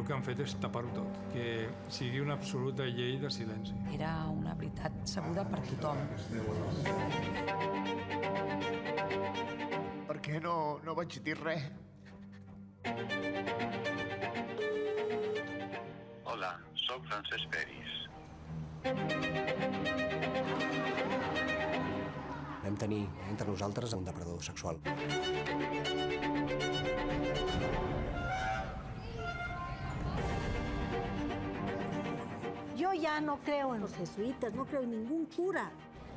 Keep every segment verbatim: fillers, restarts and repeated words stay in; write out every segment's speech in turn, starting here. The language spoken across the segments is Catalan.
el que han fet és tapar-ho tot, que sigui una absoluta llei de silenci. Era una veritat sabuda per tothom. Per què no, no vaig dir res? Hola, sóc Francesc Peris. Vam tenir entre nosaltres un depredador sexual. Yo ya no creo en los jesuitas, no creo en ningún cura.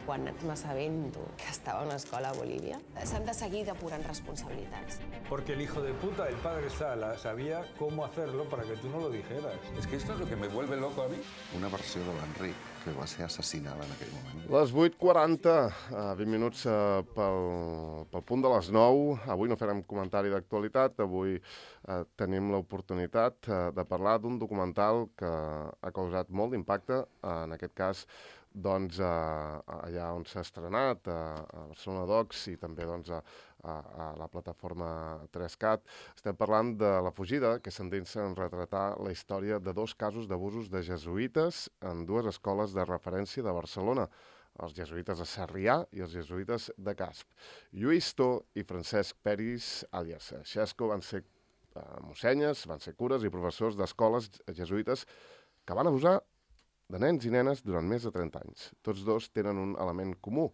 Quan m'assabento que estava a una escola a Bolívia, s'han de seguir depurant responsabilitats. Porque el hijo de puta, el padre Sala, sabía cómo hacerlo para que tú no lo dijeras. Es que esto es lo que me vuelve loco a mí. Una versió de l'Enric, que va ser assassinada en aquell moment. Les vuit quaranta, vint minuts pel, pel punt de les nou. Avui no farem comentari d'actualitat, avui eh, tenim l'oportunitat eh, de parlar d'un documental que ha causat molt d'impacte, eh, en aquest cas doncs, eh, allà on s'ha estrenat, eh, a Barcelona Docs i també doncs, a, a, a la plataforma tres cat. Estem parlant de La fugida, que s'endinsa en retratar la història de dos casos d'abusos de jesuïtes en dues escoles de referència de Barcelona, els jesuïtes de Sarrià i els jesuïtes de Casp. Lluís To i Francesc Peris, àlies Xesco, van ser eh, mossenyes, van ser cures i professors d'escoles jesuïtes que van abusar de nens i nenes durant més de trenta anys. Tots dos tenen un element comú.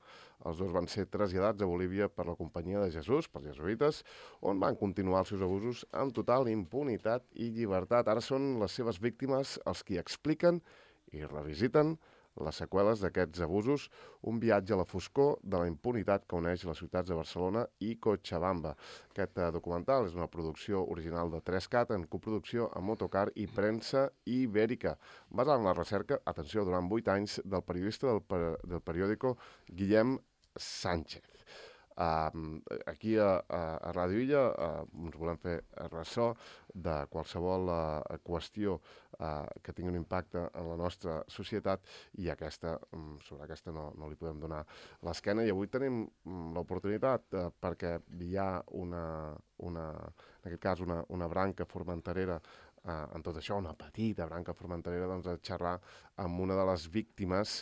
Els dos van ser traslladats a Bolívia per la Companyia de Jesús, pels jesuïtes, on van continuar els seus abusos amb total impunitat i llibertat. Ara són les seves víctimes els qui expliquen i revisiten les seqüeles d'aquests abusos, un viatge a la foscor de la impunitat que uneix les ciutats de Barcelona i Cochabamba. Aquest uh, documental és una producció original de tres cat en coproducció amb Motocar i Premsa Ibèrica, basada en la recerca, atenció, durant vuit anys, del periodista del, per del periòdico Guillem Sánchez. Uh, aquí a, a, a Ràdio Illa uh, ens volem fer ressò de qualsevol uh, qüestió uh, que tingui un impacte en la nostra societat i aquesta, um, sobre aquesta no, no li podem donar l'esquena. I avui tenim um, l'oportunitat uh, perquè hi ha una, una, en aquest cas una, una branca formenterera uh, en tot això, una petita branca formenterera, doncs, a xerrar amb una de les víctimes.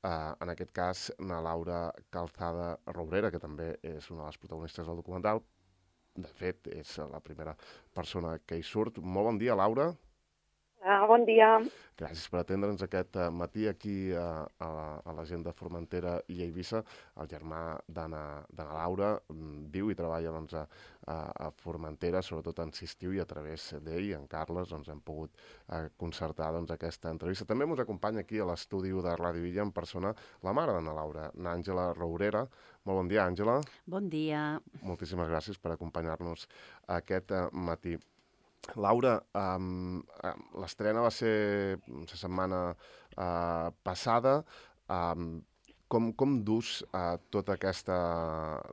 Uh, en aquest cas, na Laura Calzada Rourera, que també és una de les protagonistes del documental. De fet, és la primera persona que hi surt. Molt bon dia, Laura. Ah, bon dia. Gràcies per atendre'ns aquest uh, matí aquí uh, a, la, a l'agenda Formentera i a Eivissa. El germà d'Anna Laura um, viu i treballa doncs, a, a Formentera, sobretot en Sisttiu, i a través d'ell, en Carles, doncs, hem pogut uh, concertar doncs, aquesta entrevista. També ens acompanya aquí a l'estudi de Ràdio Illa en persona la mare d'Anna Laura, n'Àngela Rourera. Molt bon dia, Àngela. Bon dia. Moltíssimes gràcies per acompanyar-nos aquest uh, matí. Laura, um, l'estrena va ser la setmana uh, passada. Um, com, com dus uh, tota aquesta,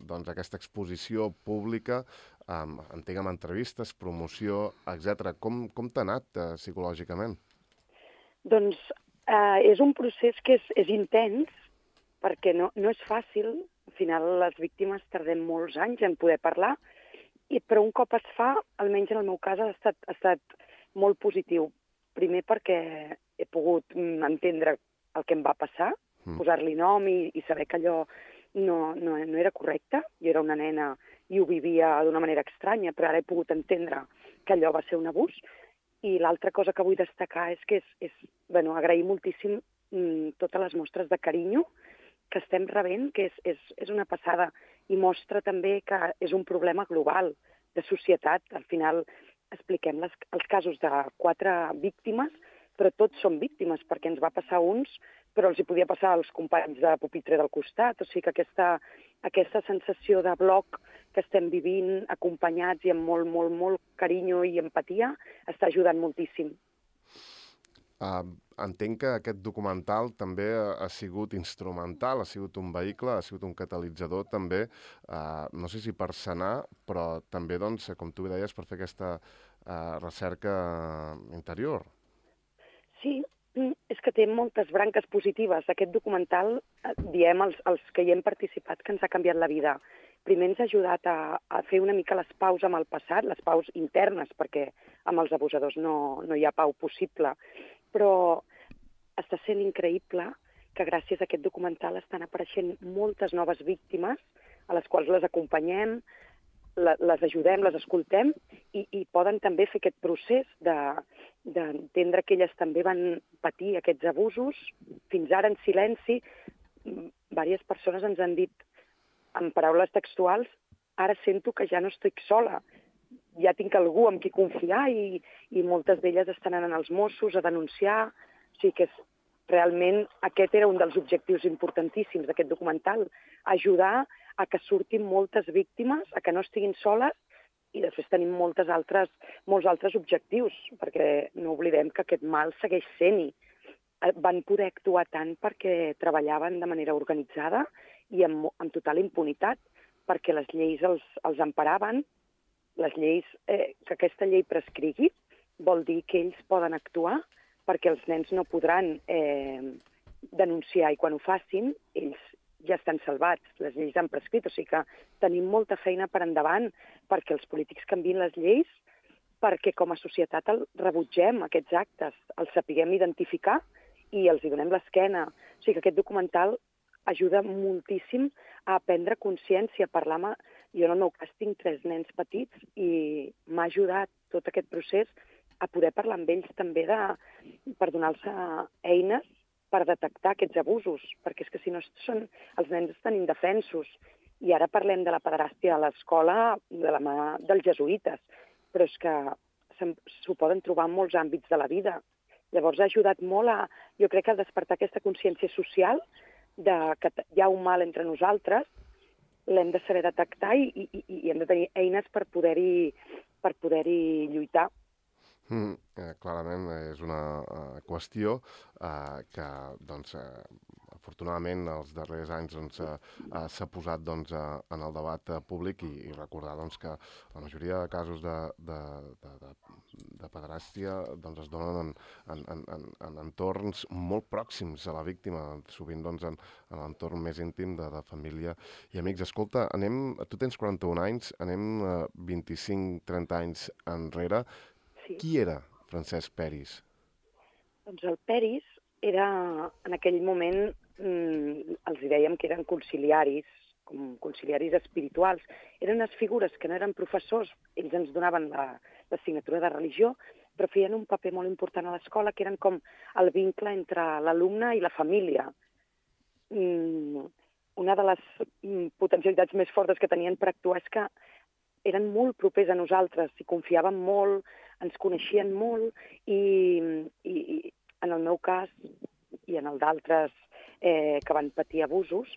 doncs, aquesta exposició pública, um, entenc amb entrevistes, promoció, etcètera. Com, com t'ha anat uh, psicològicament? Doncs uh, és un procés que és, és intens, perquè no, no és fàcil. Al final les víctimes tardem molts anys en poder parlar, I, però un cop es fa, almenys en el meu cas, ha estat, ha estat molt positiu. Primer perquè he pogut entendre el que em va passar, mm. posar-li nom i, i saber que allò no, no, no era correcte. Jo era una nena i ho vivia d'una manera estranya, però ara he pogut entendre que allò va ser un abús. I l'altra cosa que vull destacar és que és, és bueno, agrair moltíssim mm, totes les mostres de carinyo que estem rebent, que és, és, és una passada, i mostra també que és un problema global, de societat. Al final expliquem les, els casos de quatre víctimes, però tots són víctimes, perquè ens va passar uns, però els hi podia passar als companys de pupitre del costat. O sigui que aquesta, aquesta sensació de bloc que estem vivint, acompanyats i amb molt, molt, molt carinyo i empatia, està ajudant moltíssim. Uh, entenc que aquest documental també ha, ha sigut instrumental, ha sigut un vehicle, ha sigut un catalitzador també, uh, no sé si per sanar, però també, doncs, com tu deies, per fer aquesta uh, recerca interior. Sí, és que té moltes branques positives. Aquest documental, diem els, els que hi hem participat, que ens ha canviat la vida. primer ens ha ajudat a, a fer una mica les paus amb el passat, les paus internes, perquè amb els abusadors no, no hi ha pau possible, però està sent increïble que gràcies a aquest documental estan apareixent moltes noves víctimes a les quals les acompanyem, les ajudem, les escoltem i, i poden també fer aquest procés d'entendre que elles també van patir aquests abusos. Fins ara, en silenci, diverses persones ens han dit en paraules textuals: ara sento que ja no estic sola, ja tinc algú amb qui confiar, i, i moltes d'elles estan anant als Mossos a denunciar. O sigui que és, realment aquest era un dels objectius importantíssims d'aquest documental, ajudar a que surtin moltes víctimes, a que no estiguin soles, i després tenim moltes altres, molts altres objectius, perquè no oblidem que aquest mal segueix sent-hi. Van poder actuar tant perquè treballaven de manera organitzada i amb, amb total impunitat, perquè les lleis els, els emparaven. Les lleis, eh, que aquesta llei prescrigui vol dir que ells poden actuar, perquè els nens no podran eh, denunciar, i quan ho facin, ells ja estan salvats, les lleis han prescrit, o sigui que tenim molta feina per endavant perquè els polítics canviïn les lleis, perquè com a societat el rebutgem aquests actes, els sapiguem identificar i els hi donem l'esquena. O sigui que aquest documental ajuda moltíssim a prendre consciència, a parlar amb... Jo en el meu cas tinc tres nens petits i m'ha ajudat tot aquest procés a poder parlar amb ells també de, per donar-los eines per detectar aquests abusos, perquè és que si no són, els nens estan indefensos. I ara parlem de la pederàstia a l'escola de la mà dels jesuïtes, però és que s'ho poden trobar en molts àmbits de la vida. Llavors ha ajudat molt a, jo crec, a despertar aquesta consciència social de que hi ha un mal entre nosaltres, l'hem de saber detectar i, i, i hem de tenir eines per poder-hi per poder-hi lluitar. Mm, eh, clarament és una uh, qüestió uh, que, doncs, uh, afortunadament, els darrers anys doncs, uh, uh, s'ha posat doncs, uh, en el debat uh, públic, i, i recordar doncs, que la majoria de casos de, de, de, de, de pederàstia doncs, es donen en, en, en, en, en entorns molt pròxims a la víctima, sovint doncs, en, en l'entorn més íntim de, de família i amics. Escolta, anem, tu tens quaranta-un anys, anem uh, vint-i-cinc trenta anys enrere. Sí. Qui era Francesc Peris? Doncs el Peris era, en aquell moment, mmm, els dèiem que eren conciliaris, com conciliaris espirituals. Eren unes figures que no eren professors, ells ens donaven l'assignatura de religió, però feien un paper molt important a l'escola, que eren com el vincle entre l'alumne i la família. Mm, una de les potencialitats més fortes que tenien per actuar és que eren molt propers a nosaltres, i confiaven molt, ens coneixien molt, i, i, i en el meu cas, i en el d'altres eh, que van patir abusos,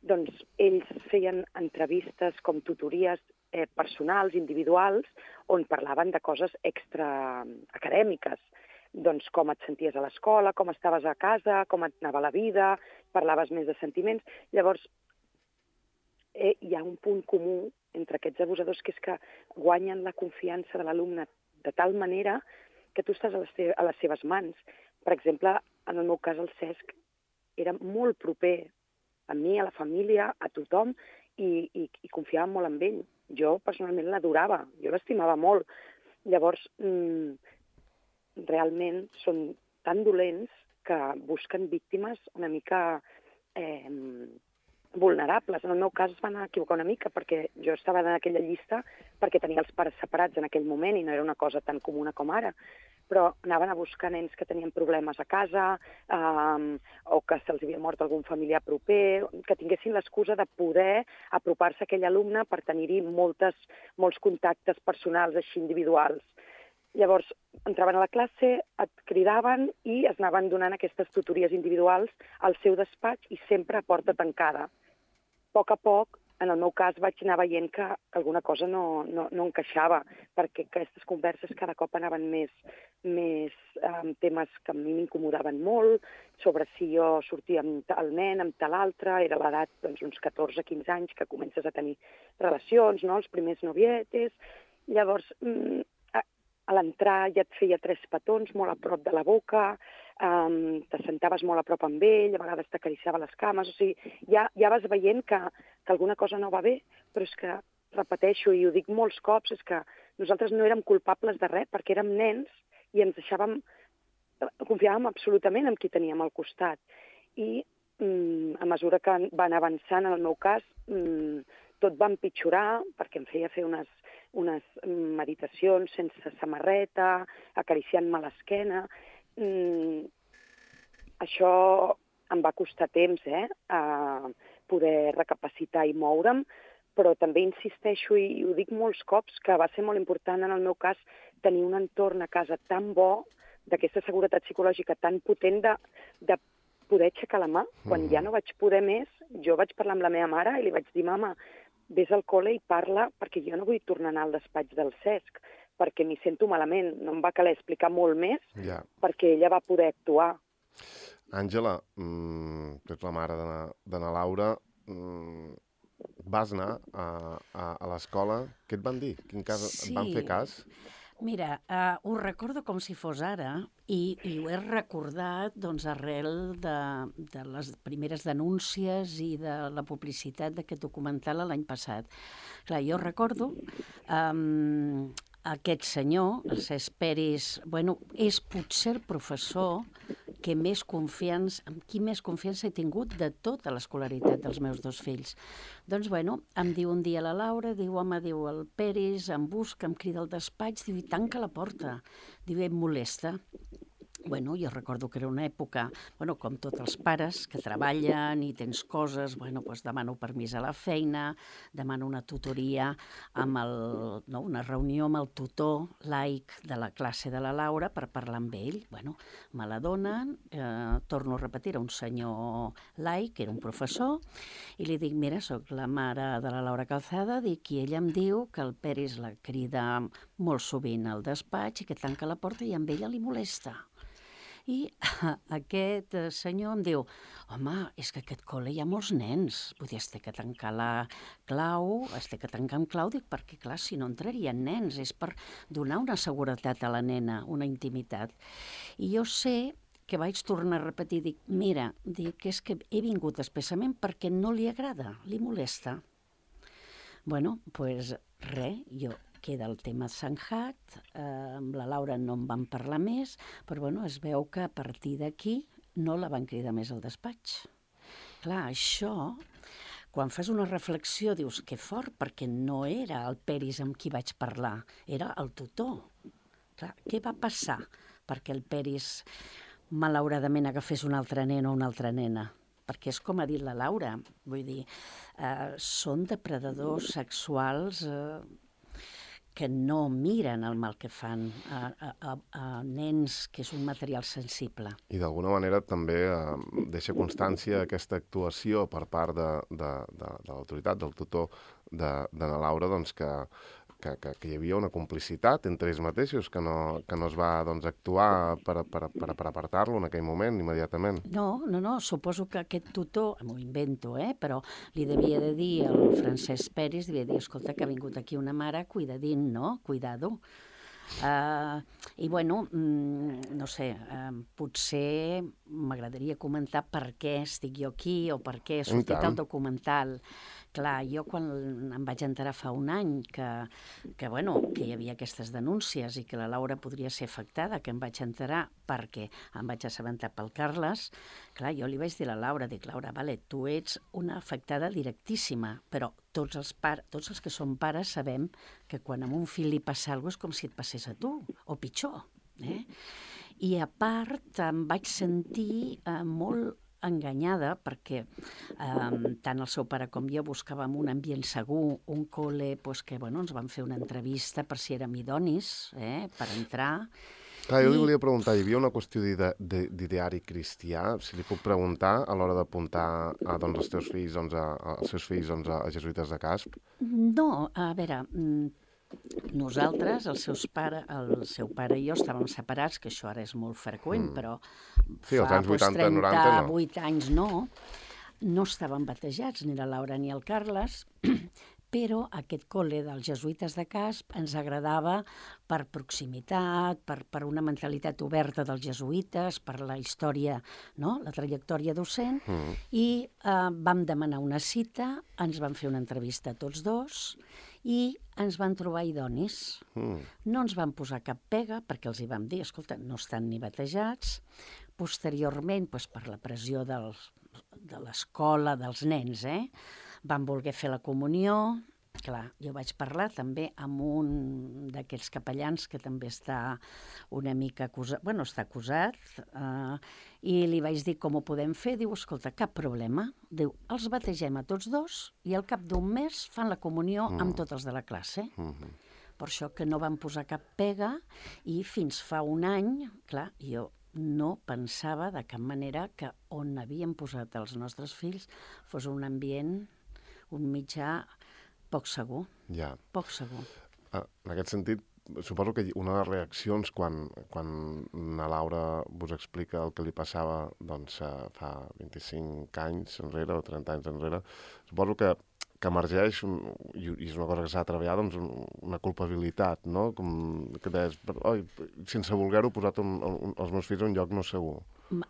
doncs ells feien entrevistes com tutories eh, personals, individuals, on parlaven de coses extraacadèmiques. Doncs com et senties a l'escola, com estaves a casa, com et anava la vida, parlaves més de sentiments. Llavors, eh, hi ha un punt comú entre aquests abusadors, que és que guanyen la confiança de l'alumne de tal manera que tu estàs a les, a les seves mans. Per exemple, en el meu cas, el Cesc era molt proper a mi, a la família, a tothom, i, i, i confiava molt en ell. Jo, personalment, l'adorava, jo l'estimava molt. Llavors, mmm, realment són tan dolents que busquen víctimes una mica eh, vulnerables. En el meu cas es van equivocar una mica, perquè jo estava en aquella llista perquè tenia els pares separats en aquell moment i no era una cosa tan comuna com ara, però anaven a buscar nens que tenien problemes a casa um, o que se'ls havia mort algun familiar proper, que tinguessin l'excusa de poder apropar-se a aquell alumne per tenir-hi moltes, molts contactes personals així individuals. Llavors, entraven a la classe, et cridaven i es anaven donant aquestes tutories individuals al seu despatx i sempre a porta tancada. A poc a poc, en el meu cas, vaig anar veient que alguna cosa no, no, no encaixava, perquè aquestes converses cada cop anaven més, més amb temes que a mi m'incomodaven molt, sobre si jo sortia amb el nen, amb tal altre, era l'edat doncs, uns catorze quinze anys que comences a tenir relacions, no? Els primers novietes. Llavors, a l'entrar ja et feia tres petons molt a prop de la boca, um, t'assentaves molt a prop amb ell, a vegades t'acariciava les cames, o sigui, ja, ja vas veient que, que alguna cosa no va bé, però és que, repeteixo, i ho dic molts cops, és que nosaltres no érem culpables de res, perquè érem nens i ens deixàvem, confiàvem absolutament en qui teníem al costat. I mm, a mesura que van avançant, en el meu cas, mm, tot va empitjorar, perquè em feia fer unes, unes meditacions sense samarreta, acariciant-me l'esquena. Mm, això em va costar temps, eh?, a poder recapacitar i moure'm, però també insisteixo, i ho dic molts cops, que va ser molt important en el meu cas tenir un entorn a casa tan bo, d'aquesta seguretat psicològica tan potent de, de poder aixecar la mà. Quan ja no vaig poder més, jo vaig parlar amb la meva mare i li vaig dir, mama, vés al col·le i parla, perquè jo no vull tornar a anar al despatx del Cesc, perquè m'hi sento malament. No em va caler explicar molt més, ja, perquè ella va poder actuar. Àngela, mmm, tu ets la mare de na Laura, mmm, vas anar a, a, a l'escola, què et van dir? Quin cas, sí. Et van fer cas? Mira, uh, ho recordo com si fos ara i, i ho he recordat doncs, arrel de, de les primeres denúncies i de la publicitat d'aquest documental l'any passat. Clar, jo recordo um, aquest senyor, el Cesc Peris, bueno, és potser el professor que més confiança, amb qui més confiança he tingut de tota l'escolaritat dels meus dos fills. Doncs, bueno, em diu un dia la Laura, diu, home, diu, el Peris em busca, em crida al despatx, diu, i tanca la porta. Diu, em molesta. Bueno, jo recordo que era una època, bueno, com tots els pares, que treballen i tens coses, bueno, doncs demano permís a la feina, demano una tutoria, amb el, no, una reunió amb el tutor laic de la classe de la Laura per parlar amb ell. Bueno, me la donen, eh, torno a repetir, era un senyor laic, era un professor, i li dic, mira, sóc la mare de la Laura Calzada, dic, i ella em diu que el Peris la crida molt sovint al despatx i que tanca la porta i amb ella li molesta. I aquest senyor em diu, home, és que a aquest col·le hi ha molts nens, vull dir, es té que tancar la clau, es té que tancar amb clau, dic, perquè clar, si no entrarien nens, és per donar una seguretat a la nena, una intimitat. I jo sé que vaig tornar a repetir, dic, mira, dic, és que he vingut expressament perquè no li agrada, li molesta. Bueno, doncs pues, res, jo... queda el tema zanjat, eh, amb la Laura no en van parlar més, però bueno, es veu que a partir d'aquí no la van cridar més al despatx. Clar, això, quan fas una reflexió, dius que fort, perquè no era el Peris amb qui vaig parlar, era el tutor. Clar, què va passar perquè el Peris malauradament agafés un altre nen o una altra nena? Perquè és com ha dit la Laura, vull dir, eh, són depredadors sexuals eh, que no miren el mal que fan a, a, a nens, que és un material sensible. I d'alguna manera també eh, deixa constància aquesta actuació per part de, de, de, de l'autoritat, del tutor de, de na Laura, doncs que, que, que, que hi havia una complicitat entre ells mateixos, que no, que no es va doncs, actuar per, per, per, per apartar-lo en aquell moment, immediatament. No, no, no, suposo que aquest tutor, m'ho invento, eh, però li devia de dir al Francesc Peris, devia dir, escolta, que ha vingut aquí una mare, cuidadín, no? Cuidado. Uh, I, bueno, mm, no sé, uh, potser m'agradaria comentar per què estic jo aquí o per què he sortit el documental. Clar, jo quan em vaig enterar fa un any que, que, bueno, que hi havia aquestes denúncies i que la Laura podria ser afectada, que em vaig enterar perquè em vaig assabentar pel Carles, clar, jo li vaig dir a la Laura, dic, Laura, vale, tu ets una afectada directíssima, però tots els, par tots els que som pares sabem que quan a un fill li passa alguna cosa és com si et passés a tu, o pitjor. Eh? I a part em vaig sentir eh, molt enganyada perquè eh, tant el seu pare com jo buscàvem un ambient segur, un col·le, pues, que bueno, ens van fer una entrevista per si érem idonis, eh, per entrar. Clar, jo I... li volia preguntar, hi havia una qüestió d'ideari cristià, si li puc preguntar a l'hora d'apuntar a, doncs, els teus fills, doncs, a, als seus fills doncs, a jesuïtes de Casp? No, a veure, nosaltres, els seus pare, el seu pare i jo estàvem separats, que això ara és molt freqüent, mm. però sí, fa anys vuitanta, noranta, no. trenta-vuit anys no, no estaven batejats, ni la Laura ni el Carles, però aquest col·le dels jesuïtes de Casp ens agradava per proximitat, per, per una mentalitat oberta dels jesuïtes, per la història, no? La trajectòria docent, mm. i eh, vam demanar una cita, ens van fer una entrevista tots dos i ens van trobar idonis. Mm. No ens van posar cap pega perquè els hi vam dir, escolta, no estan ni batejats. Posteriorment, doncs, per la pressió dels, de l'escola, dels nens, eh? Van voler fer la comunió. Clar, jo vaig parlar també amb un d'aquests capellans que també està una mica acusat, bueno, està acusat, eh, i li vaig dir com ho podem fer. Diu, escolta, cap problema. Diu, els bategem a tots dos i al cap d'un mes fan la comunió mm. amb tots els de la classe. Mm-hmm. Per això que no van posar cap pega i fins fa un any, clar, jo no pensava de cap manera que on havíem posat els nostres fills fos un ambient, un mitjà poc segur. Ja. Poc segur. Ah, en aquest sentit, suposo que una de les reaccions quan, quan la Laura vos explica el que li passava doncs, fa vint-i-cinc anys enrere o trenta anys enrere, suposo que que emergeix, i és una cosa que s'ha de treballar, doncs, una culpabilitat, no? Com que deies, oi, sense voler-ho, posat un, un, els meus fills en un lloc no segur.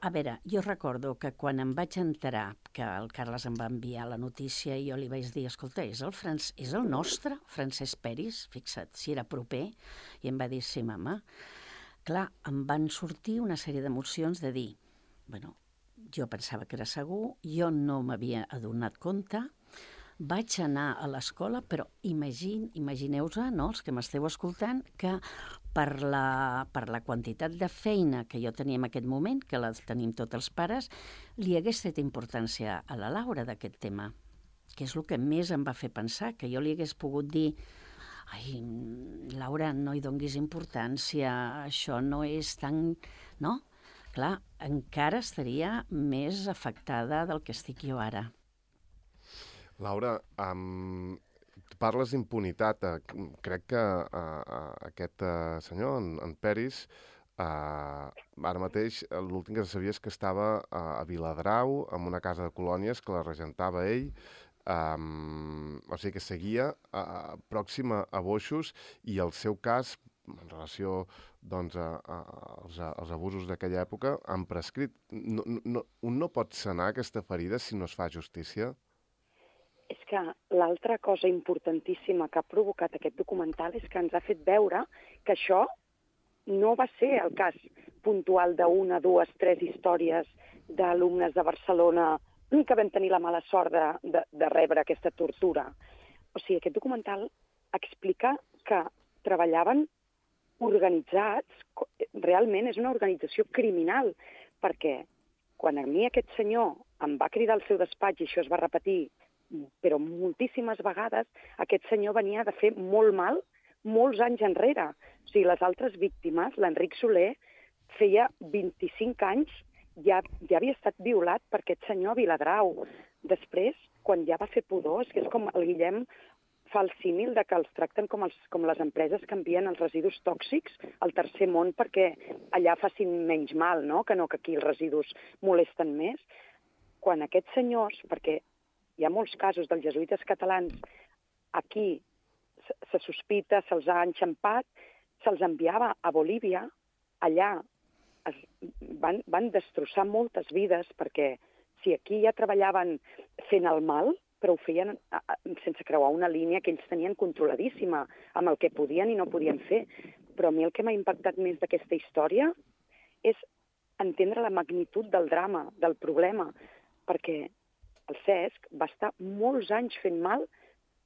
A veure, jo recordo que quan em vaig enterar que el Carles em va enviar la notícia i jo li vaig dir, escolta, és el, Franc... és el nostre Francesc Peris? Fixa't, si era proper. I em va dir, sí, mama. Clar, em van sortir una sèrie d'emocions de dir, bueno, jo pensava que era segur, jo no m'havia adonat compte, vaig anar a l'escola, però imagine, imagineu-vos, no, els que m'esteu escoltant, que per la, per la quantitat de feina que jo tenia en aquest moment, que la tenim tots els pares, li hagués fet importància a la Laura d'aquest tema, que és el que més em va fer pensar, que jo li hagués pogut dir, ai, Laura, no hi donguis importància, això no és tan... No? Clar, encara estaria més afectada del que estic jo ara. Laura, um, parles d'impunitat. Uh, crec que uh, uh, aquest uh, senyor, en, en Peris, uh, ara mateix l'últim que sabia és que estava uh, a Viladrau, en una casa de colònies que la regentava ell, um, o sigui que seguia uh, pròxima a Boixos, i el seu cas, en relació doncs, a, a, als, a, als abusos d'aquella època, han prescrit. No, no, un no pot sanar aquesta ferida si no es fa justícia? És que l'altra cosa importantíssima que ha provocat aquest documental és que ens ha fet veure que això no va ser el cas puntual d'una, dues, tres històries d'alumnes de Barcelona que vam tenir la mala sort de, de, de rebre aquesta tortura. O sigui, aquest documental explica que treballaven organitzats, realment és una organització criminal, perquè quan a mi aquest senyor em va cridar al seu despatx i això es va repetir, però moltíssimes vegades aquest senyor venia de fer molt mal molts anys enrere. O sigui, les altres víctimes, l'Enric Soler, feia vint-i-cinc anys, ja, ja havia estat violat per aquest senyor a Viladrau. Després, quan ja va fer pudor, és que és com el Guillem fa el símil de que els tracten com, els, com les empreses que envien els residus tòxics al tercer món perquè allà facin menys mal, no? Que no que aquí els residus molesten més. Quan aquests senyors, perquè hi ha molts casos dels jesuïtes catalans, aquí se sospita, se'ls ha enxampat, se'ls enviava a Bolívia, allà es van, van destrossar moltes vides, perquè si aquí ja treballaven fent el mal, però ho feien sense creuar una línia que ells tenien controladíssima amb el que podien i no podien fer. Però a mi el que m'ha impactat més d'aquesta història és entendre la magnitud del drama, del problema, perquè el Cesc va estar molts anys fent mal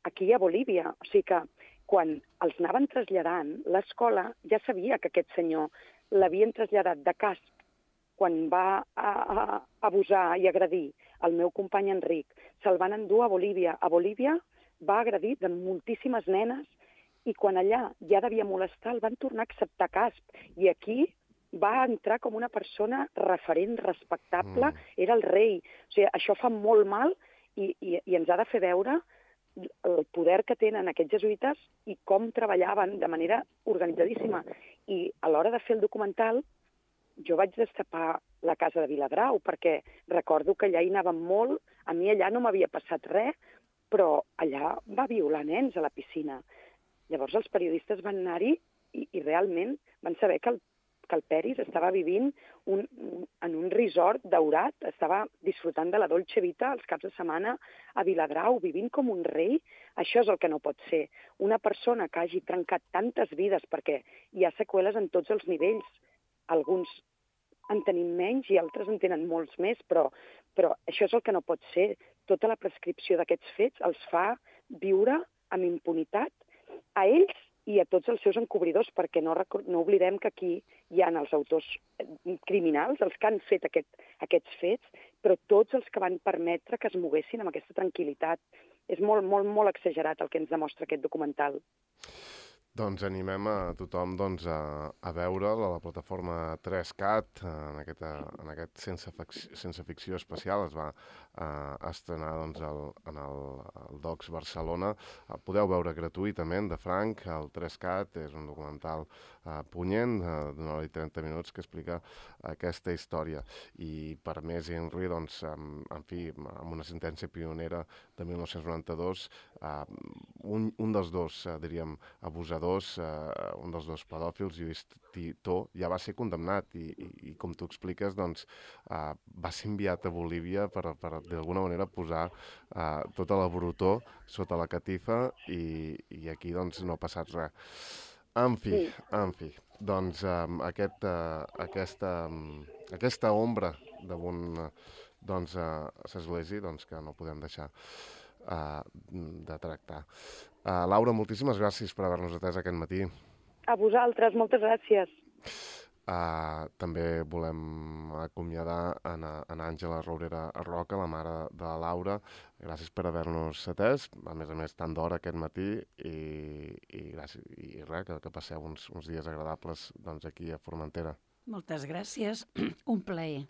aquí a Bolívia. O sigui que quan els anaven traslladant, l'escola ja sabia que aquest senyor l'havien traslladat de Casp quan va a, a, abusar i agredir el meu company Enric. Se'l van endur a Bolívia. A Bolívia va agredir de moltíssimes nenes i quan allà ja devia molestar el van tornar a acceptar Casp. I aquí va entrar com una persona referent, respectable, mm. era el rei. O sigui, això fa molt mal i, i, i ens ha de fer veure el poder que tenen aquests jesuïtes i com treballaven de manera organitzadíssima. I a l'hora de fer el documental, jo vaig destapar la casa de Viladrau, perquè recordo que allà hi anàvem molt, a mi allà no m'havia passat res, però allà va violar nens a la piscina. Llavors els periodistes van anar-hi i, i realment van saber que el, que el Peris estava vivint un, un, en un resort daurat, estava disfrutant de la dolce vita els caps de setmana a Viladrau, vivint com un rei. Això és el que no pot ser. Una persona que hagi trencat tantes vides, perquè hi ha seqüeles en tots els nivells. Alguns en tenim menys i altres en tenen molts més, però, però això és el que no pot ser. Tota la prescripció d'aquests fets els fa viure amb impunitat a ells i a tots els seus encobridors, perquè no, no oblidem que aquí hi ha els autors criminals, els que han fet aquest, aquests fets, però tots els que van permetre que es moguessin amb aquesta tranquil·litat. És molt, molt, molt exagerat el que ens demostra aquest documental. Doncs animem a tothom doncs, a, a veure'l a la plataforma tres cat, en, aquesta, en aquest sense, sense ficció especial. Es va uh, estrenar doncs, el, en el, el Docs Barcelona. El podeu veure gratuïtament, de franc. El tres cat és un documental uh, punyent, uh, d'una hora i trenta minuts, que explica aquesta història. I per més Henry, doncs, en, en fi, amb una sentència pionera de mil nou-cents noranta-dos, uh, un, un dels dos, uh, diríem, abusadors, Uh, un dels dos pedòfils, Lluís Titó, ja va ser condemnat i, i, i com tu expliques, doncs, uh, va ser enviat a Bolívia per, per d'alguna manera posar uh, tota la brutor sota la catifa i, i aquí doncs, no ha passat res. En fi, en fi, doncs um, aquest, uh, aquesta, um, aquesta ombra damunt uh, doncs, uh, l'església doncs, que no podem deixar Uh, de tractar. Uh, Laura, moltíssimes gràcies per haver-nos atès aquest matí. A vosaltres, moltes gràcies. Uh, també volem acomiadar en, en Àngela Rourera Roca, la mare de la Laura. Gràcies per haver-nos atès, a més a més tant d'hora aquest matí, i, i, gràcies, i res, que, que passeu uns, uns dies agradables doncs, aquí a Formentera. Moltes gràcies, un plaer,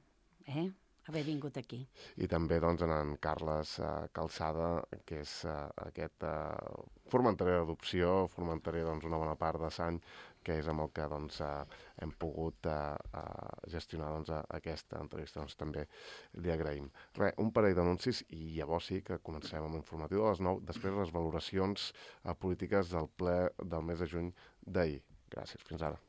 eh? haver vingut aquí. I també doncs, en, en Carles uh, Calçada, que és uh, aquest uh, formenterer d'adopció, formenterer doncs, una bona part de Sany, que és amb el que doncs, uh, hem pogut uh, uh, gestionar doncs, uh, aquesta entrevista. Doncs, també li agraïm. Re, un parell d'anuncis i llavors sí que comencem amb l'informatiu de les nou, després les valoracions uh, polítiques del ple del mes de juny d'ahir. Gràcies, fins ara.